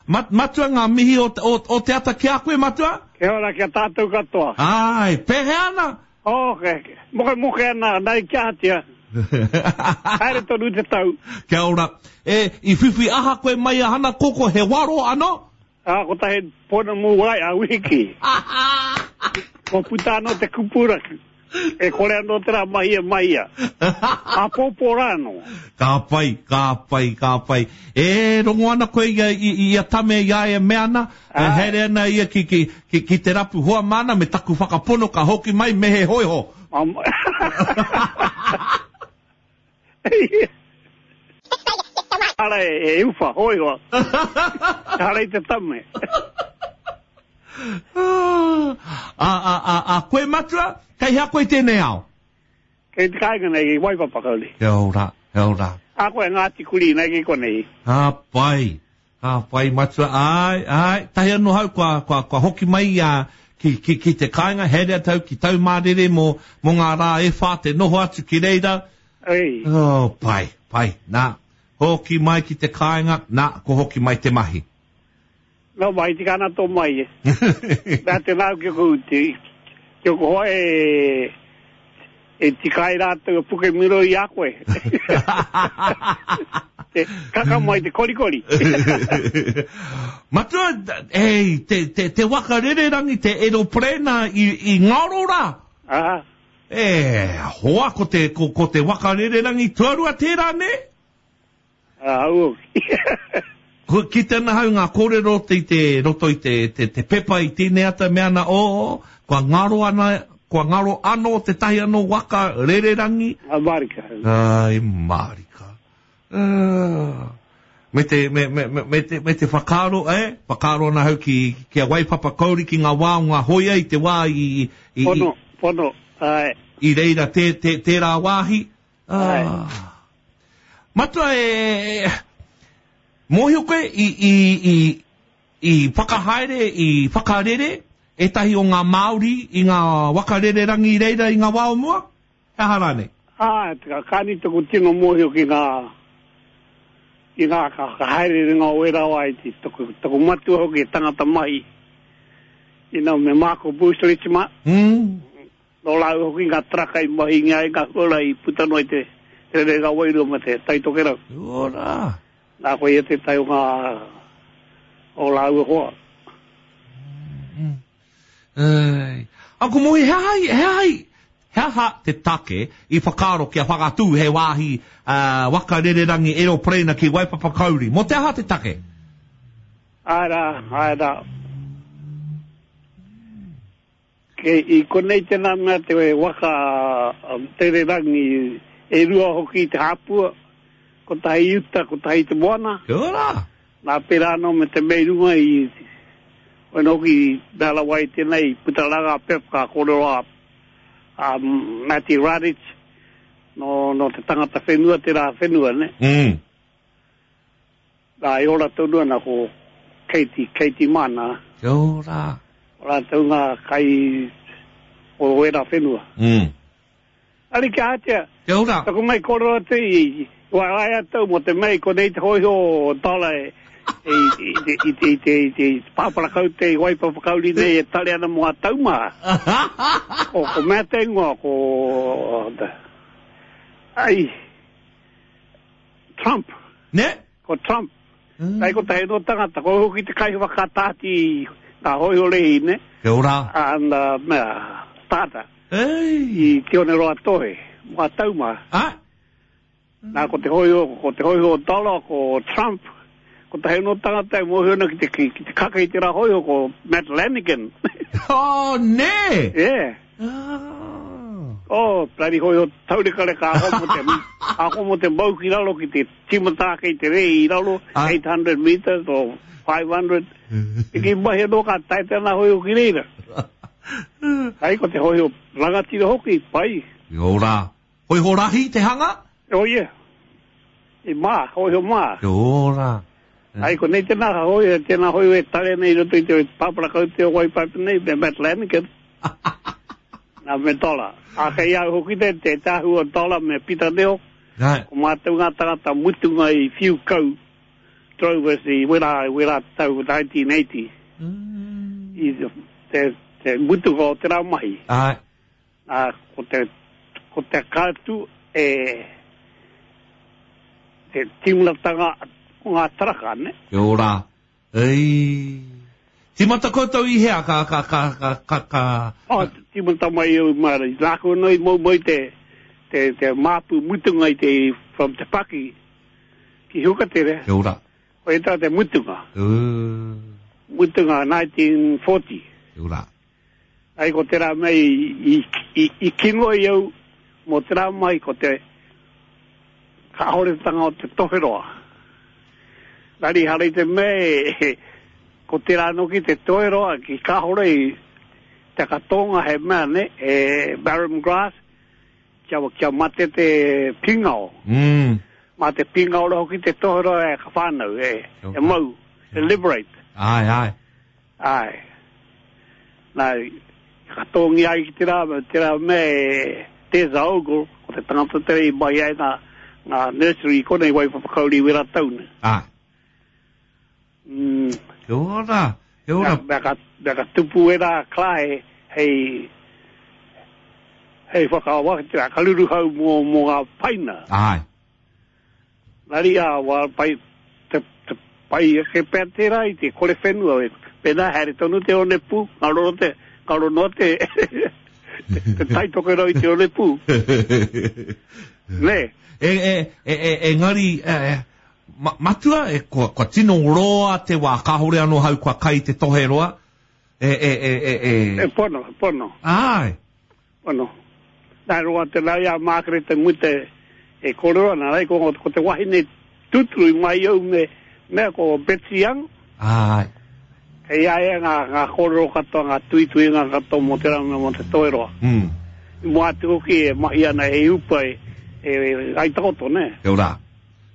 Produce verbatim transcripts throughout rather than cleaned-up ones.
Mat, matua ngā mihi o, o, o te ata ki a koe, matua? Kia ora ki a tātou katoa. Ai, pēhea ana? Oh, ke, moke moke ana, nai kia atia. Haere tonu te tau. Kia ora. E, i whiwhi aha koe mai a Hana Koko, he waro ano? Ah, ko tahe pona mū wai a wiki. Ko puta anō te kupura. E kore anō te rā mahi e mahia. A pōpō rā anō. Ka pai, ka pai, ka pai. E rongo ana koe i, i, i a Tame i a e mea ana, e haere ana ia ki, ki, ki, ki te rapu hoa māna me taku whakapono ka hoki mai me he hoiho. Um, Ara e, e uwha, hoiho. Ara i te tame. A, a, a, a koe matua, kei hea koe tēnei ao? Kei te kāinga nei, i Waipapa kauri. Kia ora, kia ora. A koe Ngāti Kuri nei ki konei. Ka pai, ka pai matua, ai, ai, tahi anō hau kua, kua, kua hoki mai a, ki, ki, ki te kāinga, haere atu ki Taumārere mō, mō ngā rā e whā te noho atu ki reira. Ei. Oh, pai, pai, nā, hoki mai ki te kāinga, nā, ko hoki mai te mahi. No mai, tika ana tō mai e. Nā te nāu ki oku, te, ki oku hoa e, e tika ai rātou e puke miro i a koe. Te kaka mai te korikori. Matua, ei, te, te, te waka rererangi, te aeroplane i, i ngaro rā. Aha. E, hoa, ko te, ko, ko te waka rererangi tuarua tērā, ne? Ah, au. Ko kite ana hau ngā kōrero te, te roto i te, te, te pepa i tēnei ata mea ana, o, oh, kua ngaro ana, kua ngaro anō te tahi anō waka rererangi. A marika. Ai, marika. Uh, me te, me, me, me, me te, me te whakaaro, eh? Whakaaro ana hau ki, ki a Waipapa Kauri ki ngā wā o ngā hoia i te wā i, i, i, Pono, pono, ai. I reira te, te, tērā wāhi. Ai. Ah. Matua e, mōhio koe i, i, i, i whakahaere, i whakarere ētahi o ngā Māori i ngā waka rererangi i reira i ngā wā o mua? He aha rānei? Ah, ka kāni taku tino mōhio ki ngā, ki ngā whakahaererenga o ērā wā i te taku, taku matua hoki e tangata mahi. You know, me Marco Bruce Richma. Mm. Nō rāua hoki ngā taraka i mahi i ngā huarahi i puta noa i te, te rerenga wairua me te Tai Tokerau. Ora. Nā koe ia tētahi o ngā o rāua hoa. Mm. Ei. Ako mohi, he aha, he aha, he aha te take i whakaaro kia whakatū he wāhi uh, waka rererangi aeroplane ki Waipapa Kauri? Mō te aha te take? Āe rā, āe rā. Ke, i konei tēnā mea te waka rererangi e rua hoki i te hāpua, kotahi i uta, kotahi i te moana. Kia ora. Nā pērā anō me te mea i runga i, koina hoki mea rawa i tēnei, puta rā ngā pep ka kōrero a, a Matty Radic, nō, nō te tangata whenua, tērā whenua, ne? Mm. Nā, e ora tonu ana ko Katie, Katie Mana. Kia ora. O rātou ngā kai o wērā whenua. Mm. Ari kia atia. Kia ora. Taku mai kōrero atu i, waewae atu mō te mea i konei te hōiho o Dollar e, i, i, i, i, i, i, i, i pāpara kaute i Waipapa Kauri nei e tare ana mō ngā taumaha. Ko, ko mea te ingoa, ko... Ai, Trump. Ne? Ko Trump. Mm. Kai ko tahi no tangata, ko hoki te kai whakatāti ngā hōiho rehi, ne? Kia ora. Ana, mea, tāta. Ei. I Te Oneroa Tohe, mō ngā taumaha. Ah? Nā, ko te hōiho, ko te hōiho o Dollar, ko Trump, ko tahi no tangata e mōhio ana ki te, ki, ki te kaka i te rā hōiho, ko Matt Lanigan. Oh, ne! Yeah. Ah. Oh, bloody hōiho taurekareka, ako mo te, ako mo te mau ki raro ki te tīmata ake i te rei i raro, Ah. eight hundred meters or five hundred. I ki mahi anō ka tae tēnā hōiho ki reira. Ai, ko te hōiho rangatira hoki, pai. Kia ora. Hōiho rahi te hanga? Oh, yeah. I mā, hōiho mā. Kia ora. Ai, ko nei tēnā hōiho, tēnā hōiho e tare nei i roto i te pāpara kaute o Waipapa nei, me Matt Lanigan. Nā, me Dollar. A kei au hoki te, te tāhu o Dollar me Peter Neo. Right. Ko mātou ngā tangata mutunga i whiu kau drovers i wera, wera tau nineteen eighty. Mm. I te, te mutunga o te rā mahi. Ai. Nā, ko te, ko te kātu e te timulatanga o ngā taraka, ne? Kia ora. Ei. Timata koutou i hea, ka, ka, ka, ka, ka, ka... Oh, timata mai au mara. Nā ko noi mau mai te, te, te māpu mutunga i te, from Te Paki ki Hukatere. Kia ora. Ko e tā te mutunga. Uh. Mutunga nineteen forty. Kia ora. Ai ko te rā mei i, i, i kingo i au mō te rā mai ko te kahoretanga o te toheroa. Nari harei te mea ko te rā noki te toheroa ki kahore i te katonga he mea ne, e barren grass, kia, kia mate te pingao. Mm. Mā te pingao roho ki te toheroa e ka whānau, e, e mau, e liberate. Ai, ai. Ai. Nā, katongi ai ki te rā, te rā mea Teza Ogle, ko te tangata tere i mai ai ngā, ngā nursery konei Waiwhawhakauri wera tauna. Ai. Mm. Kia ora, kia ora. Mea ka, mea ka tupu e rā klae hei, hei whakawaka, ka ruruhau mō, mō ngā paina. Ai. Nari a wā pai, te, te pai ake pea tērā i te kore whenua, e, pēnā haere tonu te onepū, ngā roro te, ngā rono te, te, te taitokerau i te onepū. Ne? E, e, e, e, engari, e, ma, matua, e, kua, kua tino roa te wā, kāhore anō hau kua kai te toheroa. E, e, e, e, e. E pono, pono. Ai. Pono. Nā roa te lau ia mākere te mute e kōrero ana, rei, ko, ko te wahine tuturu i mai au me, mea ko Betsy Young. Ai. Kei a ia ngā, ngā kōrero katoa, ngā tuituinga katoa mō te ranga mō te toheroa. Mm. I mua atu hoki e mahi ana e upa e, e, e ai takoto, ne? Kia ora.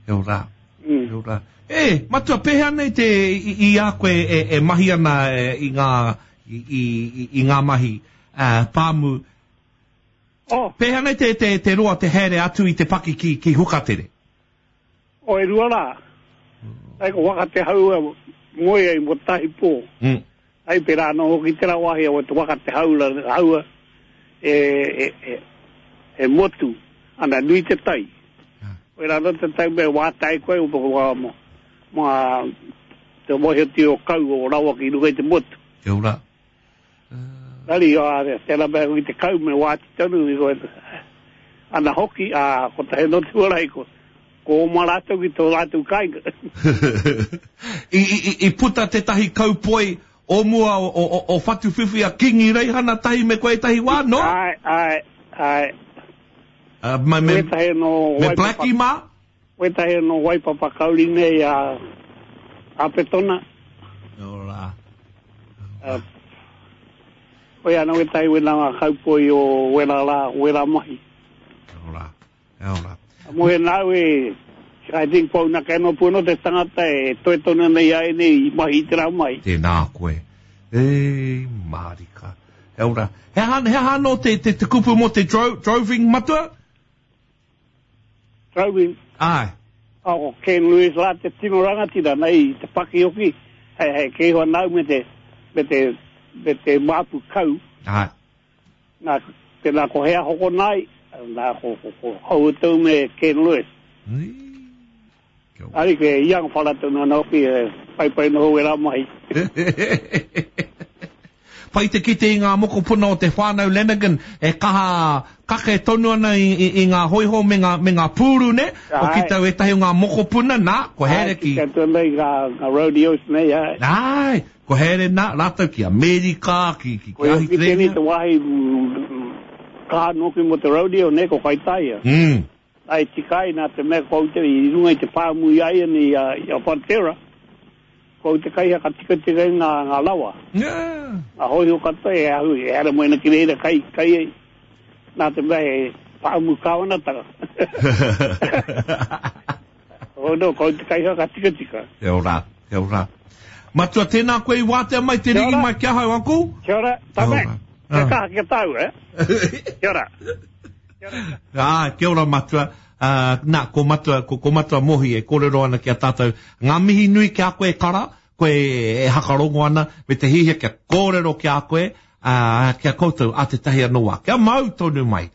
Kia ora. Mm. Kia ora. E, matua, pēhea nei te i, i a koe e, e mahi ana e, i ngā, i, i, i, i ngā mahi uh, pāmu. Oh. Pēhea nei te, te, te roa te haere atu i te paki ki, ki Hukatere? O, e rua rā. Ai ko waka te hau e moe ai mo tahi pō. Mm. Ai pērā anō hoki te rawahi o te waka te haula, haua e, e, e, e motu, ana nui te tai. Ah. O rā anō te tai me wātai koe o wā mo, mā te mohi o kau o rawa ki runga i te motu. Kia ora. Rari, a, tēnā mea i te kau me wāti tonu i koe. Ana hoki, a, ko te heno tuarai ko, ko oma rātou ki tō rātou kāinga. I, i, i puta tētahi kaupoi o mua o, o, o Whatuwhiwhi a Kingi Reihana tahi me koe tahi wā, no? Ai, ai, ai. Uh, me, me, Wetahi no me Blackie mā? Wetahi no Waipapa Kauri nei a, a Petona. Ora. Uh, Koe ana wetahi wena ngā kaupoi o wera rā, wera mahi. Ora, ora. Mo he nau e, I think pauna keno puno te tangata e toe tonu nei ai nei i mahi te rā mai. Tēnā koe. E, mārika. He ora. He aha, he aha no te, te, te kupu mō te dro, droving matua? Droving? Ai. Oh, ko Ken Lewis rā te tino rangatira nei te paki hoki. Hei, hei, kei hoa nau me te, me te, me te māpu kau. Ai. Nā, tēnā ko hea hoko nai, nā ko, ko, ko hautou me Ken Lewis. Ni. Ari ke iang wharatu no hoki e pai pai noho e rā mahi. Pai te kite i ngā mokopuna o te whānau Lanigan e kaha kake tonu ana i, i, i ngā hoiho me ngā, me ngā pūru, ne? O ki tau ētahi o ngā mokopuna, nā, ko here ki... Ai, ki te nei ngā, ngā rodeos nei, ai. Ai, ko here nā, rātou ki Amerika, ki, ki, ki Ko ki tēnei te wāhi kaha noki mo te rodeo, ne, ko Kaitaia. Mm. Ai, tikai nā te mea ko te i runga i te pāmu i ai ni i a Fonterra. Ko te kai ka tika tika i ngā, ngā lawa. Yeah. Ngā hoiho katoa e ahu, e ara moena ki reira kai, kai e, nā te mea e pāmu kāwanatanga. Oh no, ko te kai ka tika tika. Kia ora, kia ora. Matua, tēnā koe i wātea mai te ringi mai ki ahau, uncle? Kia ora, tame. Kia kaha kia tau, eh? Kia ora. Kia ora. Ah, kia ora, matua. Ā, nā, ko Matua, ko, ko Matua Mohi e kōrero ana ki a tātou. Ngā mihi nui ki a koe, Kara, koe e hakarongo ana, me te hihia kia kōrero ki a koe, ā, ki a koutou a tētahi anō wā. Kia mau tonu mai.